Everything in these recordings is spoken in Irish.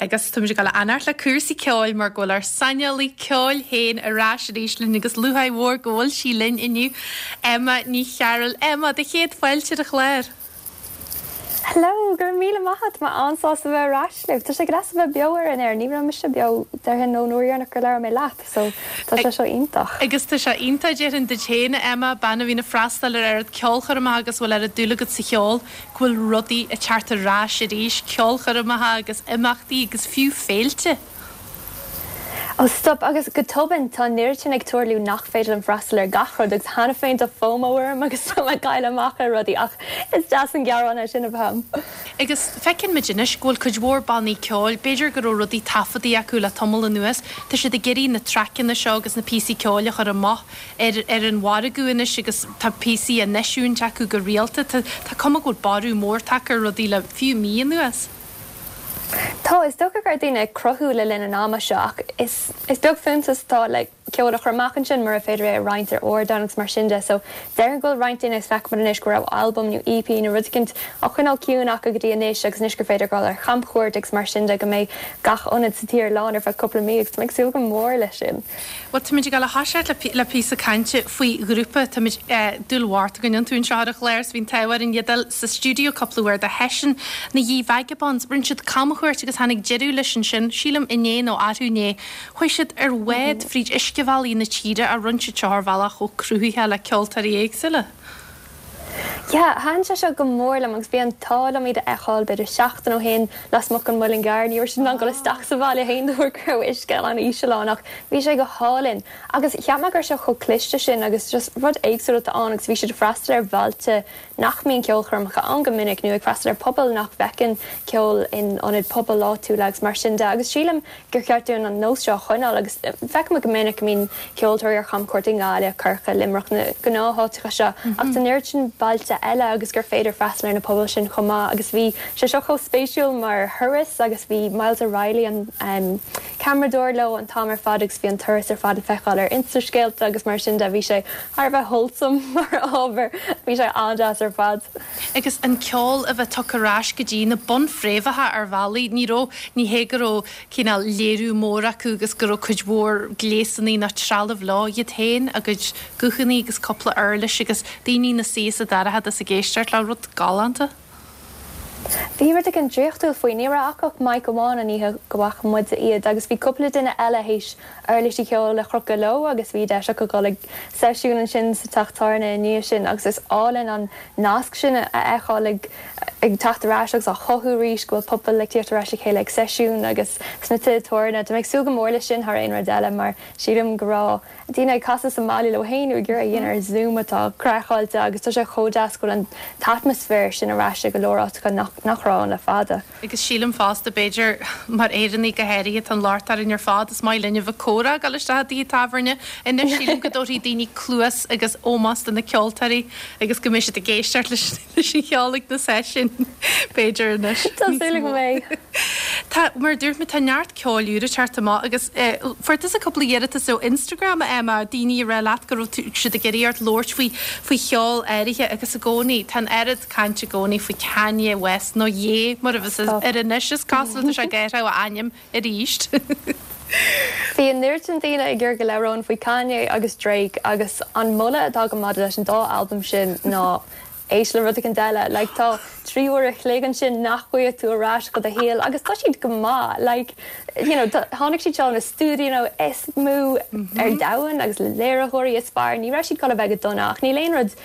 Agus táimid ag dul a fhanacht le cúrsaí ceoil mar go bhfuil ár saineolaí ceoil féin ar ais arís linn agus lúcháir mhór go bhfuil sí linn inniu, Emma Ní Chearúil. Emma, do chéad fáilte ar an chlár. Hello, go raibh míle maith agat, tá mé an-sásta bheith ar ais libh. Tá sé go deas a bheith beo ar an aer, ní raibh mise beo déarfainn ón uair dheireanach gur labhair mé leat, so tá sé seo iontach. Agus tá sé iontach, déarfainn duit féin, a Emma, bean a bhíonn ag freastal ar oiread ceolchoirmeacha agus a bhfuil oiread dúil agat sa cheol, go bhfuil rudaí ag teacht ar ais arís, ceolchoirmeacha agus imeachtaí agus fiú féilte. Ó stop, agus go tobann tá an oiread sin ag tarlú nach féidir liom freastal ar gach rud agus cheana féin tá FOMO orm agus tá mé ag cailleadh amach ar rudaí ach is deas an gearán é sin a bheith a'm. Agus feiceann muid anois go bhfuil cuid mhór bannaí ceoil, b'fhéidir go raibh rudaí taifeadtaí acu le tamall anuas, tá siad ag iarraidh na traiceanna seo agus na píosaí ceoil a chur amach ar ar an mhargadh anois agus tá píosaí á n-eisiúint acu go rialta. Tá tá cuma go bhfuil borradh mór tagtha ar rudaí le fiú mí anuas. Tá, is dócha go raibh daoine ag cruthú le linn an ama seo ach is is beag fiúntas atá le ceol a chur amach ansin mura féidir é a roinnt ar ardáin agus mar sin de so déarfainn go bhfuil roinnt daoine agus feicimid anois go raibh albam nó EP nó rud eicínt á choinneáil ciúin acu go dtí anois agus anois gur féidir dul ar chamchuairt agus mar sin de go mbeidh gach ionad sa tír lán ar feadh cúpla mí agus tá mé ag súil go mór leis sin. Bhuel, táimid ag dul a thoiseacht le píosa cainte faoi ghrúpa. Táimid, dúil mhór againn iontu anseo ar an chlár is bhí an t-ádh orainn iad a fháil sa stiúideo cúpla uair do sheisiún na Ye Vagabonds. Rinne siad camchuairt agus tháinig deireadh leis ansin, sílim inné nó arú inné. Chuaigh siad ar bhád fríd uiscebhealaí na tíre a rinne siad seo ar bhealach chomh cruthaitheach le ceoltóirí éagsúla. Yeah, thaitin sé seo go mór liom agus bhí an t-ádh liom iad a fheiceáil b'fhéidir seachtain ó shin lasmuigh den Mhuileann gCearr. Ní raibh siad in ann dul isteach sa bhaile féin de bharr go raibh uisce an-íseal ann ach bhí sé go hálainn. Agus cheap mé go raibh sé chomh cliste sin agus just rud éagsúil atá ann agus bhí siad ag freastal ar bhailte nach mbíonn ceolchoirmeacha ann go minic nó ag freastal ar pobail nach bhfeiceann ceol in ionaid pobail áitiúla agus mar sin de agus sílim gur cheart dúinn an nós seo a choinneáil agus feicimid go minic go mbíonn ceoltóirí ar chamchuairt i nGaillimh, Corcaigh, Luimneach, na gnátháiteacha seo ach tá an oiread sin bailte eile agus gur féidir freastal ar na pobail sin chomh maith agus bhí sé seo chomh spéisiúil mar thuras agus bhí Myles O'Reilly an ceamaradóir leo an t-am ar fad agus bhí an turas ar fad le feiceáil ar Insta-scéalta agus mar sin de bhí sé thar a bheith wholesome mar ábhar, bhí sé an-deas ar fad. Agus an ceol a bheith tugtha ar ais go dtí na bunfhréamhacha ar bhealaí, ní raibh, ní hé go raibh cineál léiriú mór acu agus go raibh cuid mhór gléasanna ná trealamh leo, iad féin, a gcuid guthanna agus cúpla uirlis agus daoine ina suí sa dorchadas ag éisteacht leo, rud galánta. Bhí rud éigin draíochtúil faoi. Ní raibh acu ach mic amháin an oíche go bhfaca muide iad agus bhí cúpla duine eile théis uirlisí ceoil a chrochadh leo agus bhí deis acu dul ag seisiún ansin sa teach tábhairne i ndiaidh sin agus is álainn an nasc sin a fheiceáil ag ag teacht ar ais agus á chothú arís, go bhfuil pobal ag tíocht ar ais le chéile ag seisiún agus sna tithe tábhairne. Tá mé ag súil go mór leis sin thar aon rud eile mar sílim go raibh daoine ag casadh sa mbaile leo féin nó ag iarraidh a dhéanamh ar Zoom atá craiceáilte agus tá sé chomh deas go bhfuil an t-atmaisféar sin ar ais i go leor áiteacha nach nach raibh ann le fada. Agus sílim fosta, b'fhéidir, mar Éireannaigh go háirithe, tá an locht orainn ar fad, is maith linn a bheith ag comhrá, ag dul isteach i dtithe tábhairne. Anois sílim go dtabharfaidh daoine cluas agus ómós do na ceoltóirí agus go mbeidh siad ag éisteacht leis leis an cheol ag na seisiúin, b'fhéidir, anois. Tá súil agam go mbeidh. Tá, mar a dúirt mé, tá neart ceoil úr ag teacht amach agus fuair tusa cúpla iarratas ó Instagram, a Emma, daoine ag rá leat go raibh siad ag iarraidh ort labhairt faoi faoi cheol áirithe agus i gcónaí, tá an oiread cainte i gcónaí faoi Kanye West nó Ye mar a bheas air anois, is cosúil tá sé ag athrú a ainm arís. Bhí an oiread sin daoine ag iarraidh go labhróinn faoi Kanye agus Drake agus an moladh atá agam maidir leis an dá albam sin ná éist le rud éicint eile. Like tá 3 uair a chloig ansin nach bhfaighidh tú ar ais do do shaol agus tá siad go maith. Like you know tháinig siad seo ó na stiúidíonna is mó ar domhan agus le léiritheoirí is fearr. Ní raibh siad ag dul a bheith go dona ach níl aon rud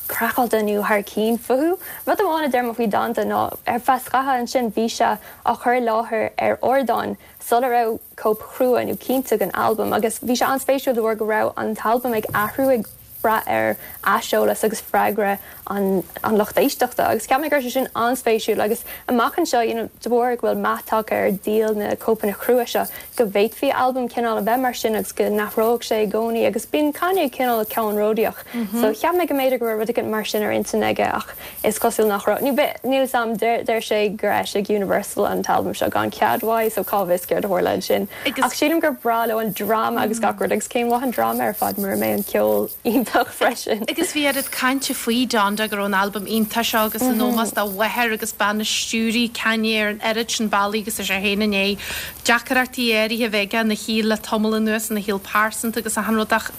craiceáilte nó thar cinn fúthu. Rud amháin a deir mé faoi Donda ná ar feadh scaithimh ansin bhí sé á chur i láthair ar ardán sula raibh cóip chrua nó cinnte den albam agus bhí sé an-spéisiúil de bharr go raibh an t-albam ag athrú ag brath ar aiseolas agus freagra an an lucht éisteachta agus cheap mé go raibh sé sin an-spéisiúil agus amach anseo you know de bharr go bhfuil meath tagtha ar dhíol na cóipeanna crua seo go bhféadfaí albam cineál a bheith mar sin agus go n-athródh sé i gcónaí agus bíonn Kanye cineál ceannródaíoch so cheap mé go mb'fhéidir go raibh rud éigin mar sin ar intinn aige ach is cosúil nach raibh. Nó níl 'fhios a'm, deir sé gur eisigh Universal an t-albam seo gan cead uaidh so cá bhfios céard a tharla ansin. Ach sílim gur breá leo an dráma agus gach rud agus cén mhaith an dráma ar fad mura mbeidh an ceol iontach. iontach freisin. Agus bhí oiread cainte faoi Donda go raibh an albam iontach seo agus in ómós dá mháthair agus bean a stiúraigh Kanye ar an oiread sin bealaí agus é féin i ndiaidh deacrachtaí áirithe a bheith aige ina shaol le tamall anuas, ina shaol pearsanta agus achan rud ach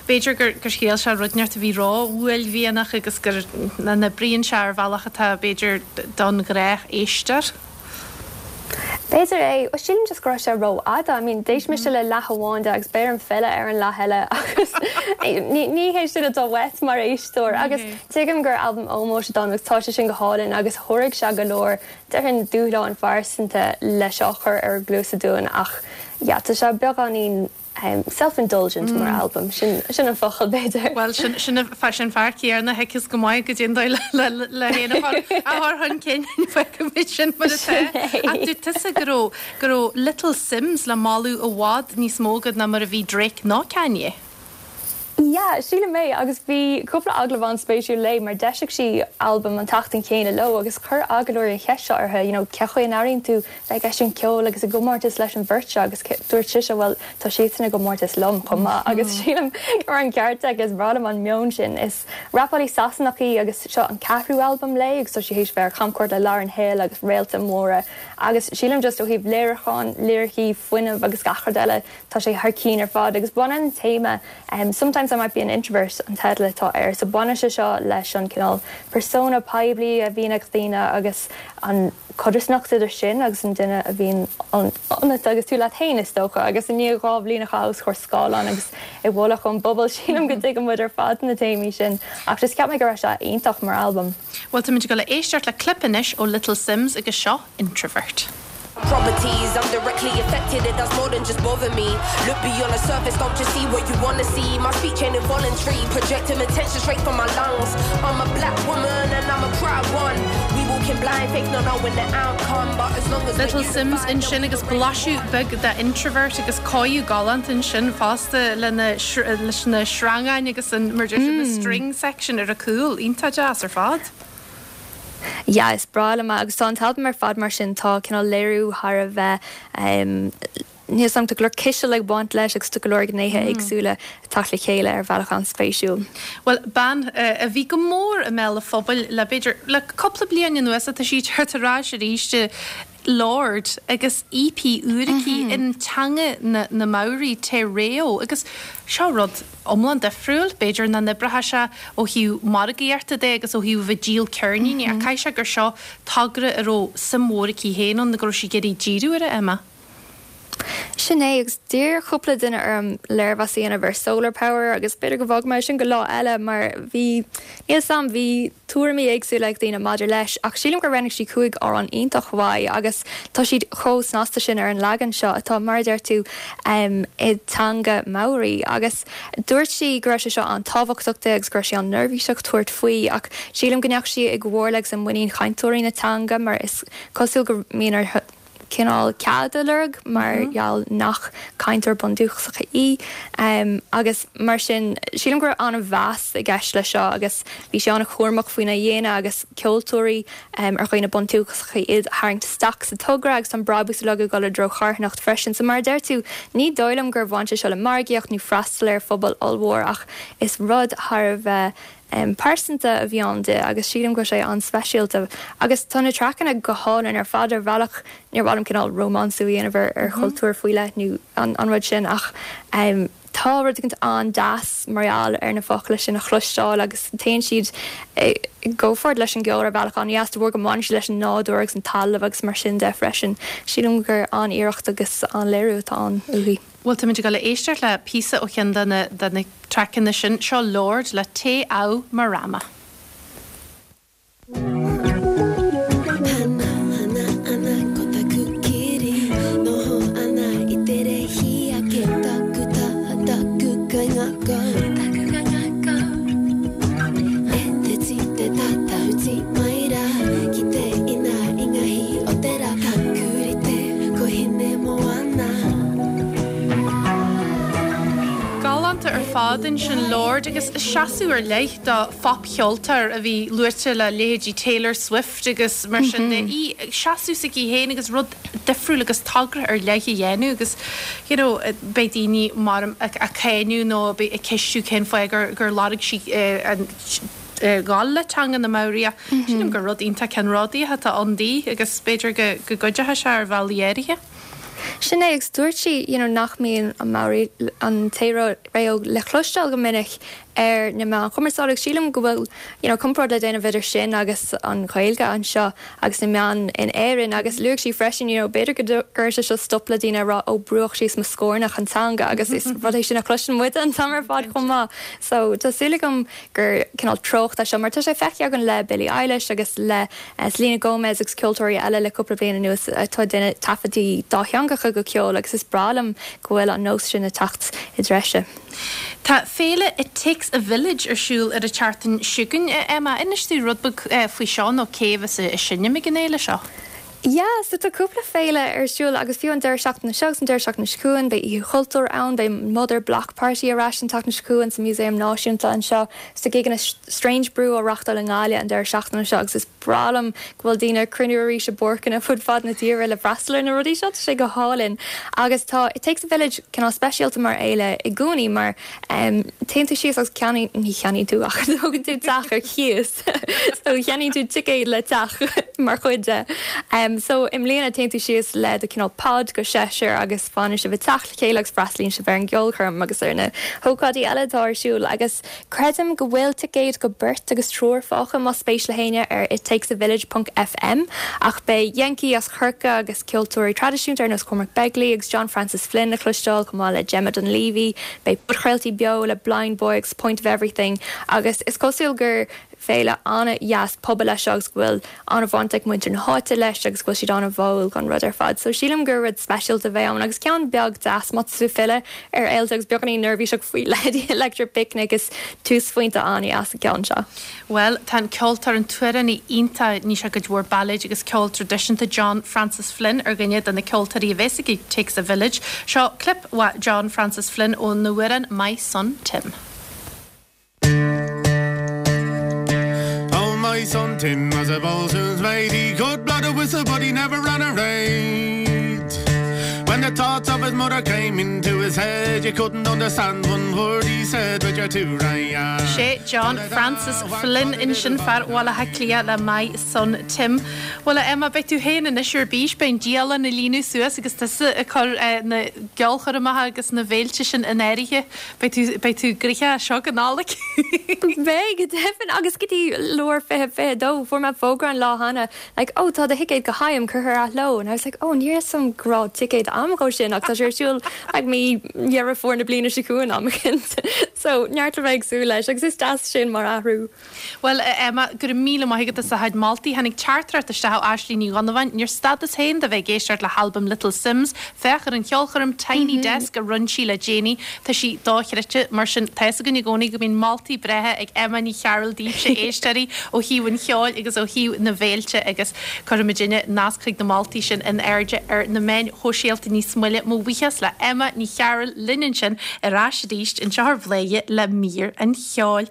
b'fhéidir gur gur thriail sé rud inteacht a bhí ró-uaillmhianach agus gur nach n-oibríonn sé ar bhealach atá b'fhéidir don ghnáthéisteoir. B'fhéidir é. Bhuel, sílim just go raibh sé rófhada. I mean, d'éist mise le leath amháin de agus beidh orm filleadh ar an leath eile agus ní hé sin atá uait mar éisteoir. Agus tuigim gur albam ómóis atá ann agus tá sé sin go hálainn agus sháraigh sé go leor, déarfainn, dúshláin phearsanta le seo a chur ar ár gcluasa dúinn ach yeah, tá sé beagáinín Self-indulgent mar albam, sin an focal b'fhéidir. Bhuel, sin sin fear céanna a thuigfeas go maith goidé an dóigh le féin a chur chun cinn, fágfaimid sin mar atá. Ach dúirt tusa go raibh go raibh Little Simz le moladh i bhfad níos mó agat ná mar a bhí Drake nó Kanye. Yeah, sílim é, agus bhí cúpla agallamh an-spéisiúil léi mar d'eisigh sí albam an tseachtain chéanna leo agus chuir agallóirí an cheist seo uirthi, you know, cé chaoi a n-airíonn tú bheith ag eisiúint ceoil agus i gcomórtas leis an bheirt seo agus dúirt sise bhuel tá siadsan i gcomórtas liom chomh maith agus sílim go raibh an ceart aici, is breá liom an meon sin. Is rapálaí Sasanach í agus seo an ceathrú albam léi agus tá sí théis bheith ar chamchuairt le Lauryn Hill agus réalta móra agus sílim just ó thaobh léiriúcháin, liricí, fuinneamh agus gach rud eile Tá sé thar cinn ar fad agus baineann an téama Sometimes I Might Be an Introvert an teideal atá air so baineann sé seo leis an cineál persona poiblí a bhíonn ag daoine agus an chodarsnacht idir sin agus an duine a bhíonn ionat agus tú leat féin is dócha agus i ndiaidh 2 bhliain a chaitheamh os comhair scáileáin agus i bhfolach ón bpobal sílim go dtuigeann muid ar fad na téamaí sin ach just cheap mé go raibh sé iontach mar albam. Bhuel táimid ag dul a éisteacht le clip anois ó Little Simz agus seo Introvert. Properties, I'm directly affected, it does more than just bother me. Look beyond the surface, don't just see what you wanna see. My speech ain't involuntary, projecting attention straight from my lungs. I'm a black woman and I'm a proud one. We walk in blind faith, not knowing the outcome, but as long as Little Simz ansin agus blaiseadh beag de Introvert agus cóiriú galánta ansin fosta lena leis na sreangáin agus an mar deir siad na string section ar a cúl. Iontach deas ar fad. Yeah, is breá liom é agus tá an t-albam ar fad mar sin, tá cineál léiriú thar a bheith, níl 's agam, tá go leor ciseal ag baint leis agus tá go leor gnéithe éagsúla ag teacht le chéile ar bhealach an-spéisiúil. Bhuel, bean a bhí go mór i mbéal an phobail le b'fhéidir, le cúpla bliain anuas tá sí ag teacht ar ais arís, Lorde agus EP úr aici in teanga na Maori, Te Reo, agus seo rud iomlán difriúil, b'fhéidir nach n-oibreoidh sé ó thaobh margaíochta de agus ó thaobh a bheith ag díol ceirníní ach caithfidh sé gur seo togra a raibh suim mhór aici féin ann nó go raibh sí ag iarraidh díriú air, Emma. Sin é, agus d'iarr cúpla duine orm léirmheas a dhéanamh ar Solar Power agus b'fhéidir go bhfágfaidh mé sin go lá eile mar bhí, níl 's a'm, bhí tuairimí éagsúla ag daoine maidir leis ach sílim gur roghnaigh sí 5 amhrán iontach mhaith agus tá siad chomh snasta sin ar an leagan seo atá, mar a deir tú, i dteanga Maori agus dúirt sí go raibh sé seo an-tábhachtach di agus go raibh sí an-neirbhíseach tabhairt faoi ach sílim go ndeachaigh sí i gcomhairle agus i muinín chainteoirí na teanga mar is cosúil go mbíonn uirthi cineál cead a lorg mar gheall nach cainteoir bundúchasach í agus mar sin sílim go raibh an-mheas i gceist leis seo agus bhí sí an-chúramach faoina dhéanamh agus ceoltóirí ar dhaoine bundúchasacha iad a tharraingt isteach sa togra agus tá an brabús uilig ag dul i dtreo charthanacht freisin. So mar a deir tú, ní dóigh liom gur bhain sé seo le margaíocht nó freastal ar phobal ollmhór ach is rud thar a bheith pearsanta a bhí ann di agus sílim go bhfuil sé an-speisialta. Agus tá na traiceanna go hálainn ar fad ar bhealach, níor mhaith liom cineál rómánsú a dhéanamh ar chultúr faoi leith nó an rud sin ach tá rud éicint an-deas mar gheall ar na focla sin a chloisteáil agus téann siad i gcomhpháirt leis an gceol ar bhealach an-dheas de bharr go mbaineann siad leis an nádúr agus an talamh agus mar sin de freisin. Sílim gur an-iarracht agus an-léiriú atá ann uaithi. Bhuel, táimid ag dul a éisteacht le píosa ó cheann de na de na traiceanna sin. Seo Lorde le Te Ao Marama. Hana hana ana ko taku kiri Noho ana i te rehi ake Taku taha taku kaingakau Taku kaingakau E te ti te tatahuti mai ra Ki te ina i nga hi o te ra Taku rite ko Hinemoana. Galánta ar. fad ansin, Lorde, agus seasamh ar leith do phopcheoltóir a bhí luaite le leithéidí Taylor Swift agus mar sin de, í ag seasamh s'aici féin agus rud difriúil agus togra ar leith a dhéanamh agus you know beidh daoine mar ag cáineadh nó ag ceistiú cén fáth gur gur lorg sí an ghabháil le teanga na Maori ach sílim gur rud iontach ceannródaíoch atá ann di agus b'fhéidir go go gcuideoidh sé ar bhealaí áirithe. Sin é, agus dúirt sí you know nach mbíonn an Maori, an te reo le cloisteáil go minic ar na meáin chumarsáide agus sílim go bhfuil you know comparáid le déanamh idir sin agus an Ghaeilge anseo agus na meáin in Éirinn agus luaigh sí freisin you know b'fhéidir go gcuirfidh sé seo stop le daoine a rá ó brúdh síos mo scornach an teanga agus is rud é sin a chloiseann muide an t-am ar fad chomh maith. So tá súil agam gur cineál treocht é seo mar tá sé feicthe againn le Billie Eilish agus le Selena Gomez agus ceoltóirí eile le cúpla bliain anuas atá ag déanamh taifeadtaí dátheangacha de cheol agus is breá liom go bhfuil an nós sin ag teacht i dtreise. Tá féile It Takes a Village ar siúl ar an tseachtain seo chugainn, a Emma. Inis dúinn rud beag faoi seo nó cé a bheas ag seinm ag an fhéile seo. Yeah, so tá cúpla féile ar siúl agus fiú an deireadh seachtaine seo agus an deireadh seachtaine seo chugainn beidh Oíche Chultúir ann, beidh Mother Block Party ar ais an tseachtain seo chugainn sa Músaem Náisiúnta anseo. Tá gigeanna Strange Brew á reachtáil i nGaillimh an deireadh seachtaine seo agus is breá liom go bhfuil daoine ag cruinniú arís i bpáirceanna fud fad na tíre le freastal ar na rudaí seo, tá sé go hálainn. Agus tá It Takes a Village cineál speisialta mar fhéile i gcónaí mar téann tú síos agus ceannaíonn, ní cheannaíonn tú ach tógann tú teach ar cíos so cheannaíonn tú ticéad le teach mar chuid de. So i mbliana téann tú síos le do cineál pod go seisear agus fanann sibh i dteach le chéile agus freastalaíonn sibh ar an gceolchoirm agus ar na hócáidí eile atá ar siúl agus Creidim go bhfuil ticéid go beirt agus triúr fágtha más spéis le héinne ar ittakesavillage ponc fm ach beidh Yenki as Corcaigh agus ceoltóirí traidisiúnta ar nós Cormac Begley agus John Francis Flynn le cloisteáil chomh maith le Gemma Dunleavy. Beidh podchraoltaí beo le Blindboy agus Point of Everything agus is cosúil gur féile an-dheas pobail é seo agus go bhfuil an-bhaint ag muintir na háite leis agus go bhfuil siad an-bháúil don rud ar fad. So sílim gur rud speisialta a bheidh ann agus ceann beag deas má tá tú ag filleadh ar fhéilte agus beagáinín neirbhíseach faoi leithéidí Electric Picnic is túsphointe an-dheas an ceann seo. Bhuel, tá an ceoltóir, an t-amhránaí iontach, ní sé cuid mhór bailéid agus ceol traidisiúnta, John Francis Flynn ar dhuine de na ceoltóirí a bheas ag It Takes a Village. Seo clip uaidh John Francis Flynn óna amhrán My Son Tim. Oh my son Tim was a bo'sun's mate He could blow the whistle but he never ran a raid When the thoughts of his mother came into his head You couldn't understand one word he said with your two right Sé John Francis Flynn ansin fear Bhaile Átha Cliath le My Son Tim. Bhuel a Emma, beidh tú féin anois ar bís, beidh an dialann á líonadh suas agus tusa ag cur na gceolchoirmeacha agus na bhféilte sin in áirithe. Beidh tú, beidh tú gnoitheach as seo go Nollaig. Beidh, go deimhin, agus go dtí lár 2022, fuair mé fógra an lá cheana, like, oh, tá do thicéad go HIAM curtha ar athló, and I was like, oh, ní raibh 'fhios a'm go raibh ticéad a'm dhó sin, ach tá sé ar siúl, like, mí Dheireadh Fómhair na bliana seo chugainn am eicínt. So, neart le bheith ag súil leis, agus is deas sin mar athrú. Bhuel, a Emma, go raibh míle maith agat as do chuid moltaí. Tháinig teachtaireacht isteach ó Aisling Ní Dhonnabháin, Níor stadas féin de bheith ag éisteacht le halbam Little Simz. Féach ar an cheolchoirm Tiny Desk a rinne sí le déanaí. Tá sí dochreidte. Mar sin, tá fhios againn i gcónaí go mbíonn moltaí breátha ag Emma Ní Chearúil daoibhse, éisteoirí, ó thaobh an cheoil agus ó thaobh na bhféilte agus cuirfimidinne nasc chuig na moltaí sin in airde ar na meáin shóisialta níos moille. Mo bhuíochas le Emma Ní Chearúil linn ansin ar ais arís anseo ar Bhladhaire le mír an cheoil.